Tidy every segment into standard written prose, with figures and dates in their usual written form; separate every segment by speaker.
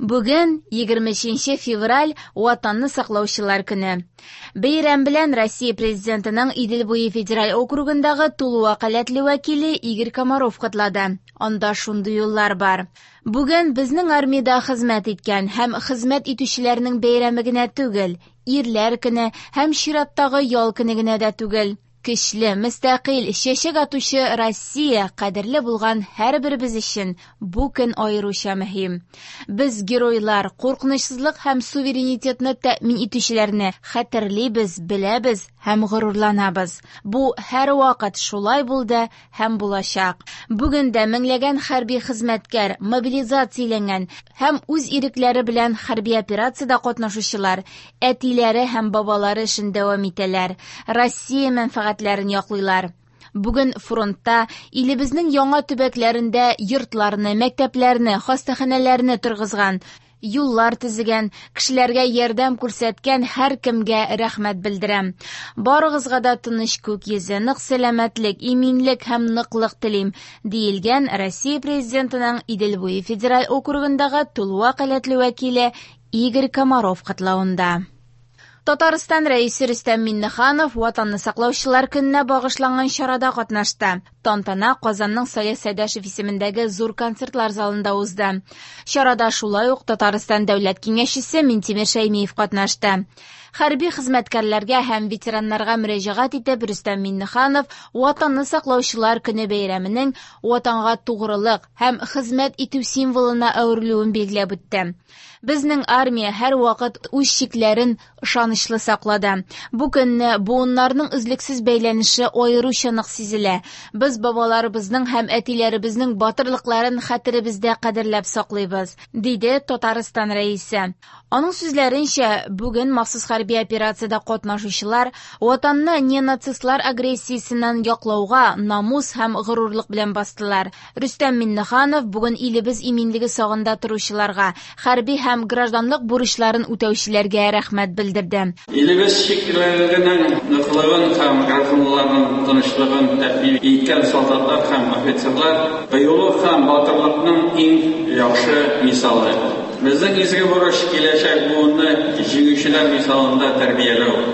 Speaker 1: Бүген, 23 февраль, Ватанны саклаучылар көне. Бәйрәм белән Россия Президентының Идел буе федераль округындагы тулы вәкаләтле вәкиле Игорь Комаров котлады. Анда шундый юллар бар. Бүген безнең армиядә хезмәт иткән һәм хезмәт итүчеләрнең бәйрәме генә түгел, ирләр көне һәм чираттагы ял көне генә дә түгел. Көчле, мөстәкыйль, чәчәк атучы Россия кадерле булган һәрберебез өчен бу көн аеруча мөһим. Без геройлар, куркынычсызлык һәм суверенитетны тәэмин итүчеләрне хәтерлибез, беләбез һәм горурланабыз. Бу һәрвакыт шулай булды һәм булачак. Бүген дә меңләгән хәрби хезмәткәр, мобилизацияләнгән һәм үз ирекләре белән хәрби операциядә катнашучылар әтиләре һәм бабалары эшен дәвам итәләр, Россия мәнфәгатьләрен яклыйлар. Бүген фронтта илебезнең яңа төбәкләрендә йортларны, мәктәпләрне, хастаханәләрне торгызган, юллар төзегән, кешеләргә ярдәм күрсәткән һәркемгә рәхмәт белдерәм. Барыгызга да тыныч күк йөзе, нык сәламәтлек, иминлек һәм ныклык телим, диелгән Россия Президентының Идел буе федераль округындагы тулы вәкаләтле вәкиле Игорь Комаров котлавында. Татарстан Рәисе Рөстәм Миңнеханов Ватанны саклаучылар көненә багышланган чарада катнашты. Тантана Казанның Салих Сәйдәшев исемендәге зур концертлар залында узды. Чарада шулай ук Татарстан Дәүләт Киңәшчесе Минтимер Шәймиев катнашты. Хәрби хезмәткәрләргә һәм ветераннарга мөрәҗәгать итеп, Рөстәм Миңнеханов Ватанны саклаучылар көне бәйрәменең Ватанга тугрылык һәм хезмәт итү символына әверелүен билгеләп үтте. Безнең армия һәрвакыт үз чикләрен ышанычлы саклады. Бу көнне буыннарның өзлексез бәйләнеше аеруча нык сизелә. Без бабаларыбызның һәм әтиләребезнең батырлыкларын хәтеребездә кадерләп саклыйбыз, диде Татарстан Рәисе. Аның сүзләренчә, бүген махсус хәрби операциядә катнашучылар Ватанны неонацистлар агрессиясеннән яклауга намус һәм горурлык белән бастылар. Рөстәм Миңнеханов бүген илебез иминлеге сагында торучыларга, хәрби һәм гражданлык бурычларын үтәүчеләргә рәхмәт белдерде.
Speaker 2: Илебез чикләренең ныклыгын һәм гражданнарның тынычлыгын тәэмин иткән солдатлар һәм офицерлар кыюлык һәм батырлыкның иң яхшы мисалы. Безнең изге бурыч киләчәк буынны җиңүчеләр мисалында тәрбияләү,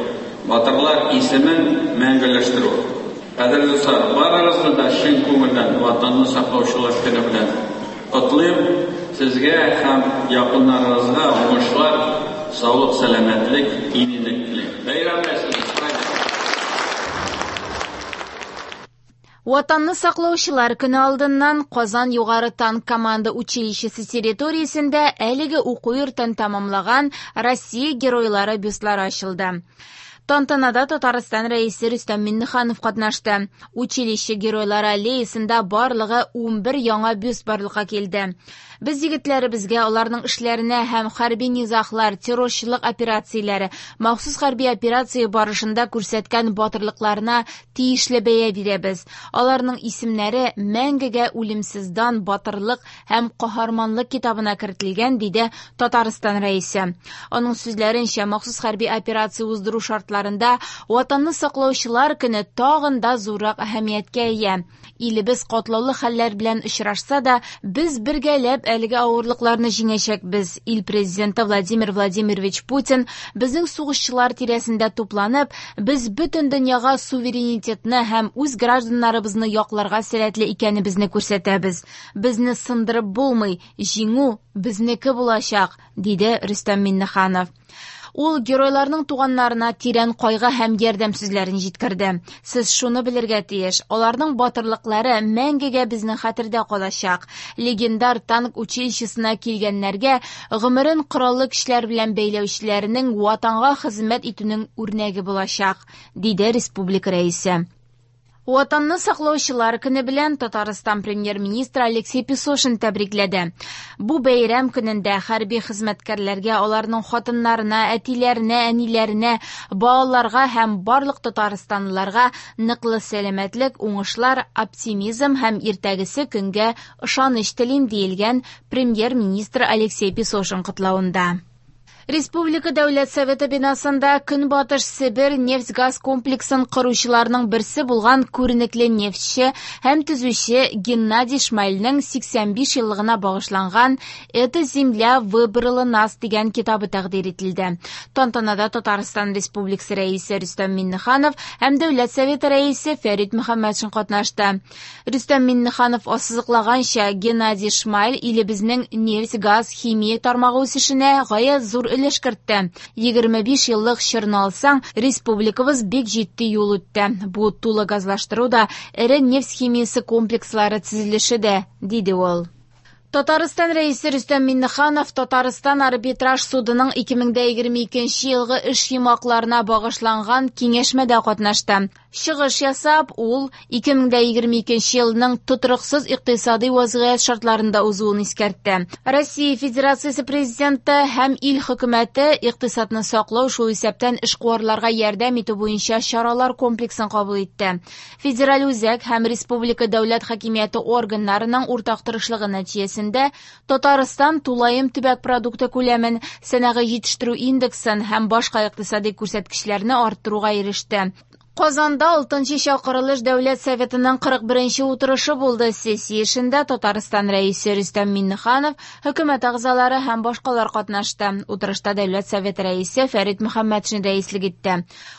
Speaker 2: батырлар исемен мәңгеләштерү. Кадерле дуслар, барыгызны да чын күңелдән Ватанны саклаучылар көне белән котлыйм. Сезгә һәм якыннарыгызга уңышлар, саулык, сәламәтлек, иминлек телим. Бәйрәм белән сезне!
Speaker 1: Ватанны саклаучылар көне алдыннан Казан югары танк команда училищесы территориясендә әлеге уку йортын тәмамлаган Россия геройлары бюстлары ачылды. Тантанада Татарстан Рәисе Рөстәм Миңнеханов катнашты. Училище геройлары аллеясында барлыгы 11 яңа бюст барлыкка килде. Без егетләребезгә, аларның эшләренә һәм хәрби низаглар, террорчылык операцияләре, махсус хәрби операция барышында күрсәткән батырлыкларына тиешле бәя бирәбез. Аларның исемнәре мәңгегә үлемсез дан, батырлык һәм каһарманлык китабына кертелгән, диде Татарстан Рәисе. Аның сүзләренчә, махсус хәрби операция уздыру шартларында Ватанны саклаучылар көне тагын да зуррак әһәмияткә ия. Илебез катлаулы хәлләр белән очрашса да, без бергәләп әлеге авырлыкларны җиңәчәкбез. Ил президенты Владимир Владимирович Путин безнең сугышчылар тирәсендә тупланып, без бөтен дөньяга суверенитетны һәм үз гражданнарыбызны якларга сәләтле икәнебезне күрсәтәбез. Безне сындырып булмый, җиңү безнеке булачак, диде Рөстәм Миңнеханов. Ул геройларның туганнарына тирән кайгы һәм ярдәм сүзләрен җиткерде. Сез шуны белергә тиеш, аларның батырлыклары мәңгегә безнең хәтердә калачак. Легендар танк училищесына килгәннәргә гомерен кораллы көчләр белән бәйләүчеләрнең ватанга хезмәт итүнең үрнәге булачак, диде республика рәисе. Ватанны саклаучылар көне белән Татарстан премьер-министры Алексей Песошин тәбрикләде. Бу бәйрәм көнендә хәрби хезмәткәрләргә, аларның хатыннарына, әтиләренә, әниләренә, балаларга һәм барлык татарстанлыларга ныклы сәламәтлек, уңышлар, оптимизм һәм иртәгесе көнгә ышаныч телим, диелгән премьер-министр Алексей Песошин котлавында. Республика Дәүләт Советы бинасында Көнбатыш Себер нефть-газ комплексын коручыларның берсе булган күренекле нефтьче һәм төзүче Геннадий Шмальнең 85 еллыгына багышланган «Эта земля выбрала нас» дигән китабы тәкъдир ителде. Тантанада Татарстан Республикасы Рәисе Рөстәм Миңнеханов һәм Дәүләт Советы Рәисе Фәрит Мөхәммәтшин катнашты. Рөстәм Миңнеханов ассызыклаганча, Геннадий Шмаль илебезнең нефть-газ, химия тармагы үсешенә гаять зур өлеш кертте. 25 еллык чорны алсаң, республикабыз бик җитди юл үтте. Бу тулы газлаштыру да, эре нефть химиясе комплекслары төзелеше дә, диде ул. Татарстан Рәисе Рөстәм Миңнеханов Татарстан арбитраж судының 2022 елгы эш йомгакларына багышланган киңәшмәдә катнашты. Чыгыш ясап, ул 2022 елның тотрыксыз икътисади вазгыять шартларында узуын искәртте. Россия Федерациясе Президенты һәм ил хөкүмәте икътисадны саклау, шул исәптән эшкуарларга ярдәм итү буенча чаралар комплексын кабул итте. Федераль үзәк һәм республика дәүләт хакимияте органнарының уртак тырышлыгы нәтиҗәсендә Татарстан тулаем төбәк продукты күләмен, сәнәгый җитештерү индексын һәм башка икътисади күрсәткечләрне арттыруга иреште. Казанда 6 чакырылыш Дәүләт Советының 41 утырышы булды. Сессия эшендә Татарстан Рәисе Рөстәм Миңнеханов, хөкүмәт әгъзалары һәм башкалар катнашты. Утырышта Дәүләт Советы Рәисе Фәрит Мөхәммәтшин рәислек итте.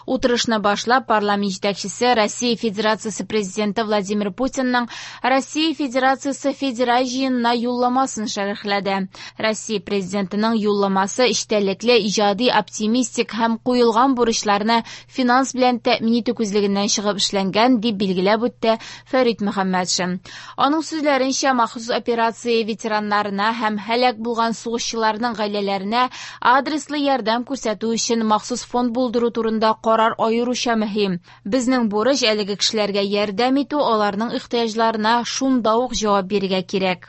Speaker 1: Утырышны башлап парламент җитәкчесе Россия Федерациясе Президенты Владимир Путинның Россия Федерациясе Федераль җыенына юлламасын шәрехләде. Россия Президентының юлламасы эчтәлекле, иҗади, оптимистик һәм куелган бурычларны финанс белән тәэмин итү күзлегеннән чыгып эшләнгән, дип билгеләп үтте Фәрит Мөхәммәтшин. Аның сүзләренчә, махсус операция ветераннарына һәм һәлак булган сугышчыларның гаиләләренә адреслы ярдәм күрсәтү өчен махсус фонд булдыру турында карар аеруча мөһим. Безнең бурыч әлеге кешеләргә ярдәм итү, аларның ихтыяҗларына шунда ук җавап бирергә кирәк.